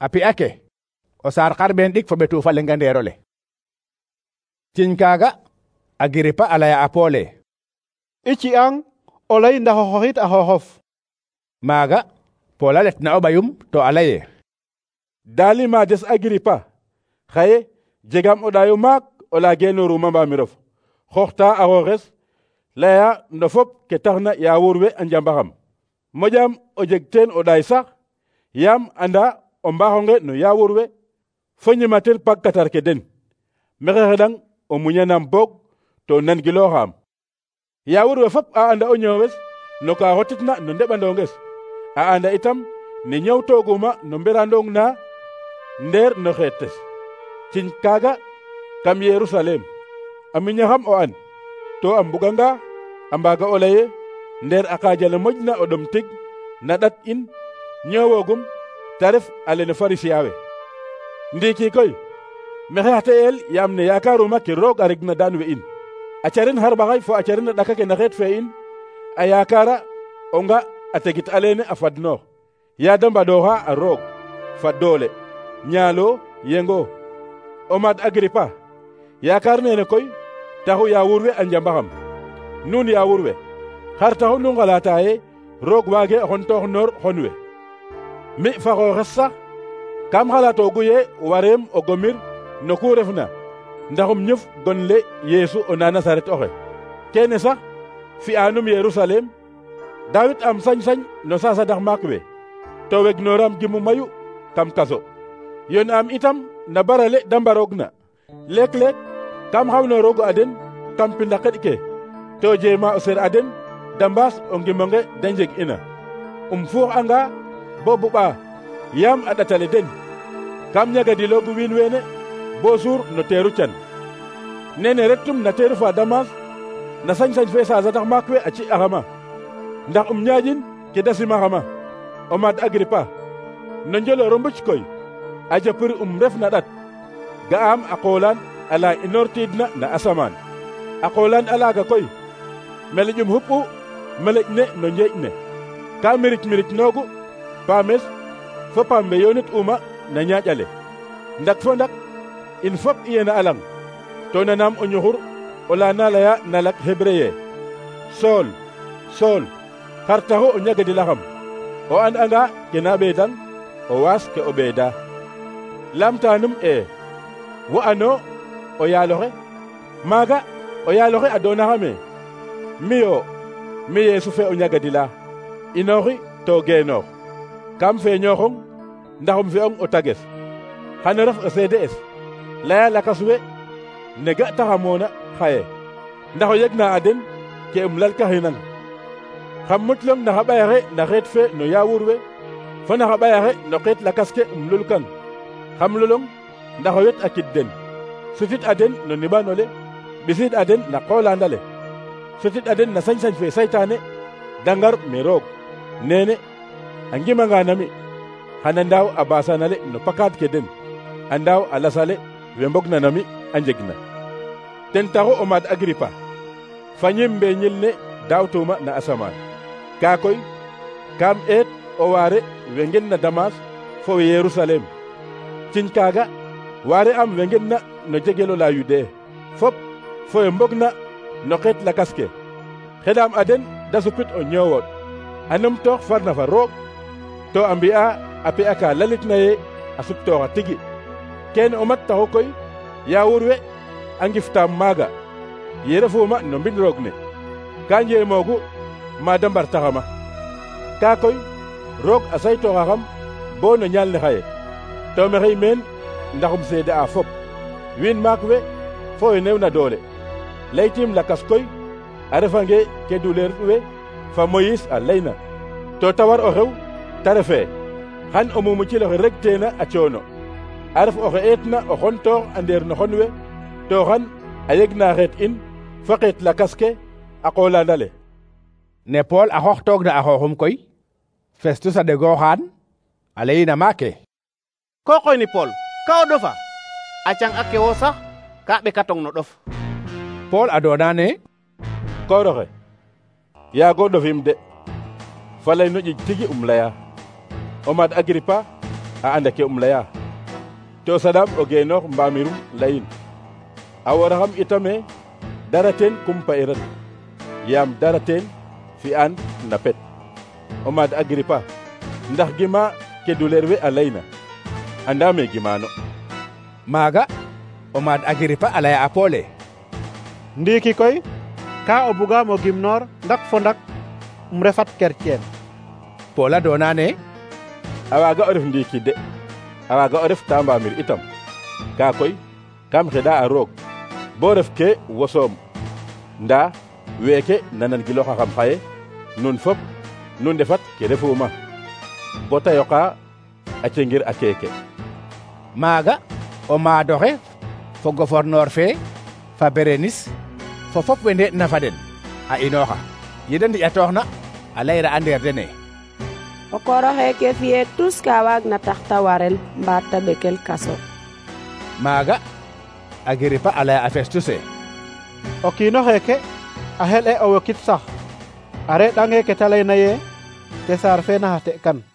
A pi'a ke o saar xarɓeen ɗik fo ɓetu fa lenga ndeerole. Ciñ kaaga Agiripa a laya a Poole: I ci'ang o lay ndax o xoxit a xooxof. Maaga Pool a letna o ɓayum to a laye: Daali ma des Agiripa, xaye jegam o ɗaayo maak o la genooruma mbamirof, xooxta a xooxes, laya no fop ke taxna yaawur we a njambaxam. Moƴam o jeg teen o ɗaay sax, yaam anda o mbaaxonge no yaawur we, fo ñimatel pagkatar ke den. Maxey xeɗang o muñanam boog to nangilooxam. Yaawur we fop a anda o ñoowes no ka xotitna no ndeɓandonges, a anda itam ne ñawtooguma no mberandong na ndeer no xeetes. Ciñ kaaga kam Yerusalem a miñaxam o an, to a mbuganga a mbaaga o laye ndeer a qaajale moƴna o ɗom tig na ɗat in ñoowoogum ta ref a lene Farisiyen we. Ndiiki koy maxey xa te'el yaam ne yakaruma ke roog a regna daan we in, a caren xarɓaxay fo a caren a ɗaka ke na xeet fe in, a yakara o nga a tegit alene a fadnoox, yaa da mbaɗooxa a roog fa doole, ñaalo yengo. O maad Agiripa, yaakaar nene koy taxu yaawur we a njambaxam. Nuun yaawur we, xar taxu nu ngalata ye roog waage xontoox noor xon we? Mi fa xooxes sax kam xalatoogu ye wareem o gomir no ku refna ndaxum ñof gonle Yeesu o na Nasaret oxe. Kene sax fi'anum Yerusalem, daawit am sañ-sañ no sasadax maak we, to wegnooram gimu mayu kam kaso. Yon am itam na barale da mbaroogna. Leek-leek kam xawnoorogu a den kam pinda xeɗ ke, to jeema o ser a den da mbaas o ngimonge da njeg ina. Fuux'anga bo buɓa yaam a ɗatale den, kam ñagadiloogu wiin weene bo suur no teeru can. Nene rettum na teeru fa Damas na sañ-sañ fe sasadax maak we a ci'axama, ndax ñaƴin ke da simaxama. O maad Agiripa, no njoloro mbuc koy a japir ref na ɗat, ga'am a qoolaan ala inoortiidna na asamaan. A qoolaan alaaga koy meleƴum xupu meleƴ ne no njeeƴ ne, ka miric noogu paames fo paam we yoonit uma na ñaaƴale. Ndak fo ndak in fop i yena a lang, to nanaam o ñuxur o la na laya na lak Hébreye: Sool, Sool, xar taxu o ñagadilaxam? O and'anga ke na ɓeedang o waas ke o ɓeeda. Lamtanum wo ano o yaaloxe? Maaga o yaaloxe a doonaxame. Miyo, mi Yeesu fe o ñagadila, inooxi to geenoox. Kam feeñooxong ndaxum fi'ong o tages, xano ref o seede'es, laya lakas we ne ga'taxamoona xaye, ndax o yegna a den ke lalkaxinang. Xam mutlong na xa ɓayaxe na xeet fe no yaawur we, fo na xa ɓayaxe no xeet lakas ke lulkang. Xam lulong ndax o wet a kid den, sutit a den no niɓanole, ɓisiid a den na qoolaandale, sutit a den na sañ-sañ fe saytaane, da ngar me roog. Nene a ngimanga nami xana ndaaw a baasanale no pakaad ke den, a ndaaw a lasale we mbogna nami a njegna. Ten taxu o maad Agiripa, fañim mbeeñil ne daawtuma na asamaan. Kaa koy kam eet o waare we ngenna Damas fo we Yerusalem. Ciñ kaaga waare am we ngenna no jegelo la Yudee fop fo we mbogna no xeet lakas ke. Xeɗaam a den da supit o ñoowooɗ, a numtoox farna fa roog, to a mbi'a a pi'a ka lalitna ye a suptooxa tigi. Kene o mat taxu koy yaawur we a ngiftaam maaga ye refuma no mbind roog ne, ka njeemoogu ma da mbartaxama. Kaa koy roog a saytooxaxam bo no ñaal ne xaye, to maxey meen ndaxum seede a fop, wiin maak we fo we newna doole. Laytiim lakas koy a refange ke duleer we fa Moyis a layna, to ta war o xew ta refe xan o mumucil oxe reg teena a coono, a ref oxe eetna o xontoox a ndeer no xon we, to xan a yegna xeet in fa xeet lakas ke a qoolaandale. Ne Pool a xooxtoogna a xooxum koy, Festus a ɗegooxaan a layina maake: Ko qoyni Pool, ka o ɗofa? A cang ake wo sax ka ɓekatong no ɗof. Pool a doona ne: Kooroxe, yaago ɗofim de, falay no ƴiƴ tigi laya. O maad Agiripa, a anda ke leya to sadam o geenoox mbamirum leyin a woraxam itame dara teen kumpa iran yaam dara teen fi'an na pet o maad Agripa ndax gima ke duleer we a leyna andame gimano. maaga o maad Agripa a laya a Poole: ndiiki koy ka o bugaam o gimnoor ndak fo ndak refat kerceen. Pool a doona ne: a waaga o ref ndiiki de, a waaga o ref ta mbamir itam, kaa koy kam xeɗa a roog bo ref ke wosoom, ndaa weeke nanangilooxaxam xaye nun fop nu ndefat ke refuuma bo ta yoqa a cengir a keeke. maaga o maadoxe fo gouverneur fe fa Berenis fo fop we ndee'na fa den a inooxa. yede ndi'atooxna a layra a ndeer dene: o koor oxeeke fi'ee tus ka waagna tax ta warel mbaa ta ɓekel kaso. maaga Agripa a laya a Festuse: o kiin oxeeke a xel'e o wokit sax a reɗ'angee ke ta layna yee César fe na xate kan.